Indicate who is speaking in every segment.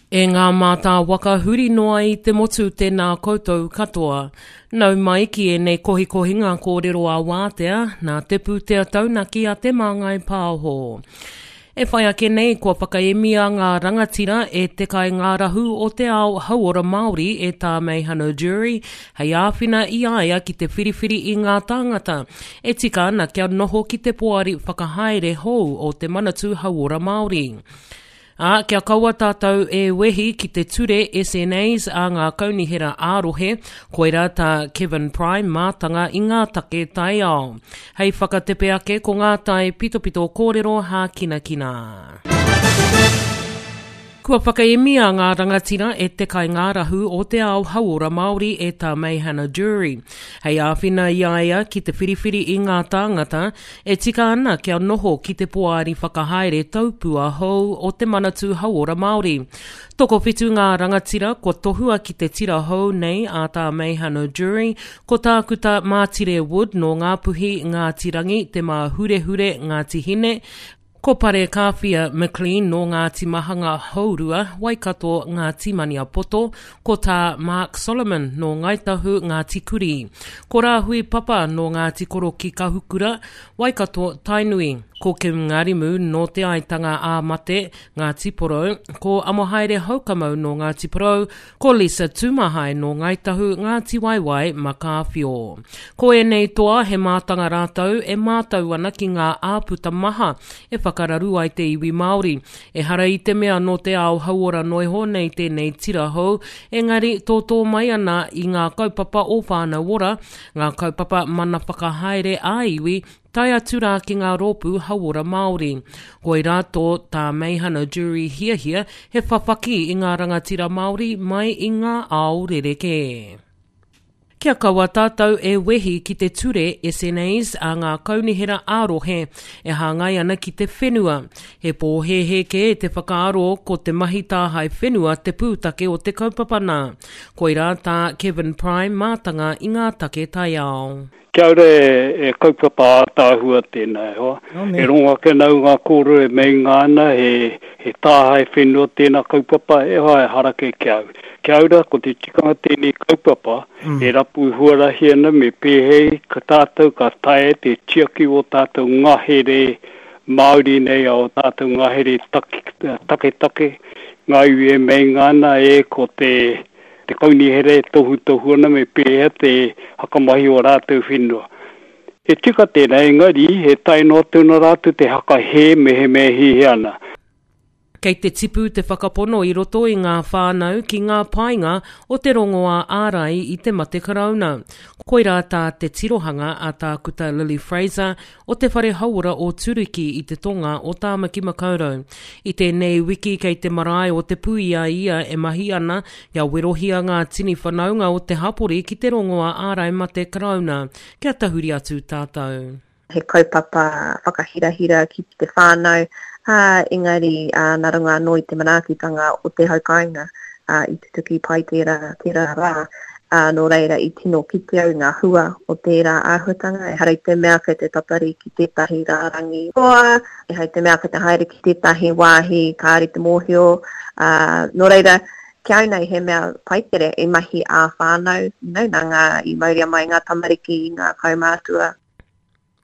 Speaker 1: E ngā mātā waka huri noa i te motu tēnā koutou katoa. Nau mai ki ēnei kohikohinga kōrero ā-wātea nā te pūtea taunaki a Te Māngai Pāho. E whai ake nei kua whakaemia ngā rangatira e te kaingārahu o te ao hauora Māori e Tā Meihana Durie hei āwhina i a ia ki te whiriwhiri i ngā tāngata e tika ana kia noho ki te poari whakahaere hou o te Manatū Hauora Māori. Ā, kia kaua tātou e wehi ki te ture SNAs a ngā kaunihera ā-rohe, koirā tā Kevin Prime mātanga i ngā take taiao. Hei whakatepe ake ko ngā tae pitopito kōrero hākinakina. Kua whakaemia ngā rangatira e te kaingārahu o te ao hauora Māori e Tā Meihana Durie, hei āwhina i a ia ki te whiriwhiri i ngā tāngata e tika ana kia noho ki te poari whakahaere taupua hou o te Manatū Hauora Māori. Tokowhitu ngā rangatira kua tohua ki te tira hou nei a Tā Meihana Durie, ko Tākuta Mātire Wood nō Ngāpuhi, Ngāti Rangi, Te Māhurehure, Ngāti Hine, Ko Parekāwhia McLean nō Ngāti Mahanga Hourua, Waikato, Ngāti Maniapoto, ko Tā Mark Solomon nō Ngāi Tahu, Ngāti Kurī. Ko Rāhui Papa nō Ngāti Koroki Kahukura, Waikato, Tainui. Ko Kim Ngarimu nō Te Aitanga ā-Mate, Ngāti Porou, ko Amohaere Houkamau nō Ngāti Porou, Ko Lisa Tūmahae nō Ngāi Tahu, Ngāti Waewae, Makāwhio. Ko ēnei toa he mātanga rātou e mātau ana ki ngā āputa maha e whakararu ai te iwi Māori. Ehara i te mea nō te ao hauora noiho nei tēnei tira hou, engari tōtō mai ana i ngā kaupapa o Whānau Ora, ngā kaupapa mana whakahaere ā-iwi, tae atu rā ki ngā rōpū hauora Māori. Koirā tō Tā Meihana Jury hiahia he whawhaki i ngā rangatira Māori mai i ngā ao rerekē. Kia kaua tātou e wehi ki te ture SNAs a ngā kaunihera ā-rohe e hāngai ana ki te whenua. He pōhēhē kē te whakaaro ko te mahi tāhae whenua te pūtake o te kaupapa nā. Koirā tā Kevin Prime mātanga i ngā take taiao.
Speaker 2: Kia ora e kaupapa ātaahua tēnā e hoa. E rongo ake ana au ngā kōrero e meinga ana he he tāhae whenua tēnā kaupapa e hoa e harakei ki a au. Kia ora ko te tikanga tēnei kaupapa e rapu huarahi ana me pēhei ka tātou ka taea te tiaki o tātou ngahere Māori nei a o tātou ngahere taketake ngā iwi e meinga ana e ko te Te kaunihera e tohutohu ana me pēhea te hakamahi o rātou whenua. He tika tēnā, engari he tae noa atu ana rātou te hakahē mehemea e hiahia ana.
Speaker 1: Kei te tipu te whakapono i roto i ngā whānau ki ngā painga o te rongoā ārai i te mate karauna. Koirā tā te tirohanga a Tākuta Lily Fraser o te Whare Hauora o Turuki i te tonga o Tāmaki Makaurau. I tēnei wiki kei te marae o Te Puia ia e mahi ana kia werohia ngā tini whanaunga o te hapori ki te rongoā ārai mate Karauna. Kia tahuri atu tātou.
Speaker 3: He kaupapa whakahirahira ki te whānau, ā, engari, ā, nā runga anō i te manaakitanga o te hau kāinga, ā, i tutuki pai tērā, tērā rā, ā, nō reira i tino kite au ngā hua o tērā āhuatanga, ehara i te mea kei te tatari ki tētahi rārangi roa, ehara i te mea kei te haere ki tētahi wāhi kāore te mōhio, ā, nō reira, ki au nei he mea pai tere i mahi ā-whānau, you know, nā ngā, i mauria mai ngā tamariki, ngā kaumātua.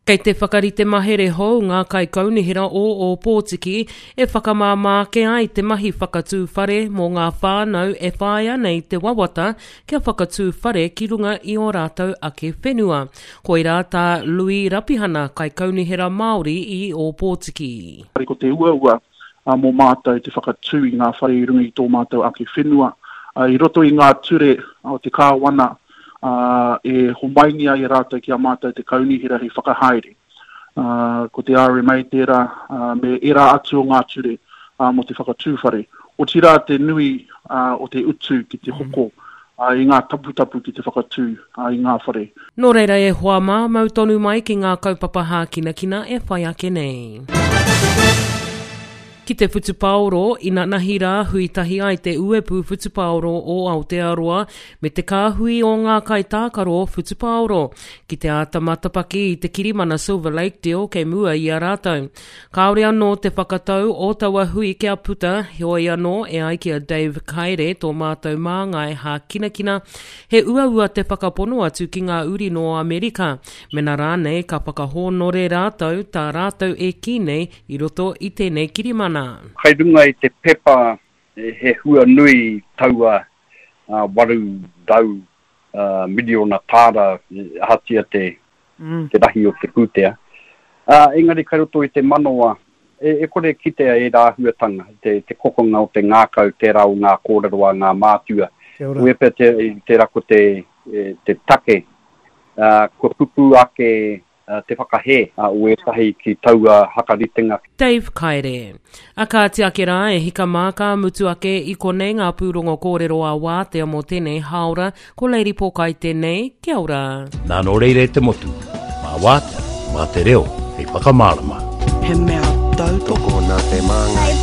Speaker 1: Kei te whakarite mahere hou ngā kaikaunihera o Ōpōtiki e whakamāmā ake ai te mahi whakatū whare mō ngā whānau e whāia nei te wawata kia whakatū whare ki runga i ō rātou ake whenua. Koirā tā Lui Rapihana, Kaikaunihera Māori i Ōpōtiki.
Speaker 4: Ko te uaua mō mātou te whakatū i ngā whare i runga i tō mātou ake whenua. I roto i ngā ture o te Kāwana, ā, e homaingia e rātou ki a mātou te kaunihera hei whakahaere. Ā, ko te RMA tērā, ā, me ērā atu o ngā ture, ā, mō te whakatū whare. Otirā te nui, ā, o te utu ki te hoko, ā, i ngā taputapu ki te whakatū, ā, i ngā whare.
Speaker 1: Nō reira e hoa mā, mau tonu mai ki ngā kaupapa hākinakina e whai ake nei. Ki te whutupaoro, inanahi rā hui tahi ai te Uepu Whutupaoro o Aotearoa me te kāhui o ngā kaitākaro whutupaoro ki te āta matapaki i te kirimana Silver Lake Deal kei mua i a rātou. Kāore anō te whakatau o taua hui kia puta, heoi anō e ai ki a Dave Kaere tō mātou māngai hākinakina, he uaua te whakapono atu ki ngā uri nō Amerika, mena rānei ka whakahōnore rātou tā rātou e kī nei i roto i tēnei kirimana.
Speaker 5: Kai runga i te pepa he hua nui taua 800 miriona tāra ahatia te rahi o te pūtea. Engari kai roto i te manawa e kore e kitea ērā āhuatanga, te kokonga o te ngākau, tērā o ngā kōrero a ngā mātua. Koia pea tērā ko te take kua pupū ake te whakahē o ētahi ki taua hakaritenga.
Speaker 1: Dave Kaere. A kāti ake rā, e hika mā ka mutu ake i konei ngā pūrongo kōrero a Wātea mō tēnei hāora, ko Lady Pōkai tēnei, kia ora.
Speaker 6: Nā nō reira e te motu, mā Wātea, mā te reo hei whakamārama.
Speaker 7: He mea tautoko.
Speaker 8: Tokona te māngai.